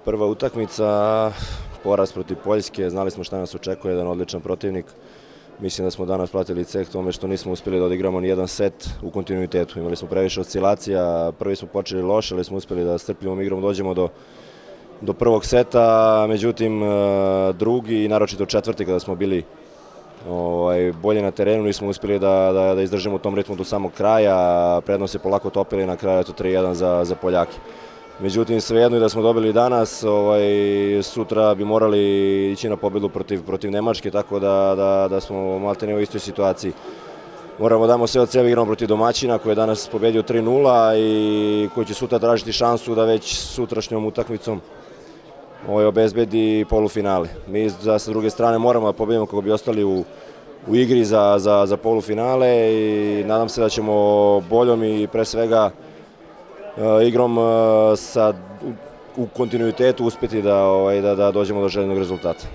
Prva utakmica, poraz protiv Poljske, znali smo šta nas očekuje, jedan odličan protivnik. Mislim da smo danas platili ceh tome što nismo uspjeli da odigramo ni jedan set u kontinuitetu. Imali smo previše oscilacija, prvi smo počeli loše, ali smo uspjeli da strpljivom igrom dođemo do prvog seta, međutim drugi i naročito četvrti kada smo bili bolje na terenu, nismo uspjeli da izdržimo u tom ritmu do samog kraja, prednost se polako topili na kraju 3-1 za Poljake. Međutim, svejedno i da smo dobili danas, sutra bi morali ići na pobjedu protiv Nemačke, tako da smo maltene u istoj situaciji. Moramo damo sve od sebe, igramo protiv domaćina koji je danas pobedio 3-0 i koji će sutra tražiti šansu da već sutrašnjom utakmicom obezbedi polufinale. Mi sa druge strane moramo da pobedimo kako bi ostali u igri za polufinale i nadam se da ćemo boljom i pre svega igrom u kontinuitetu uspjeti da dođemo do željenog rezultata.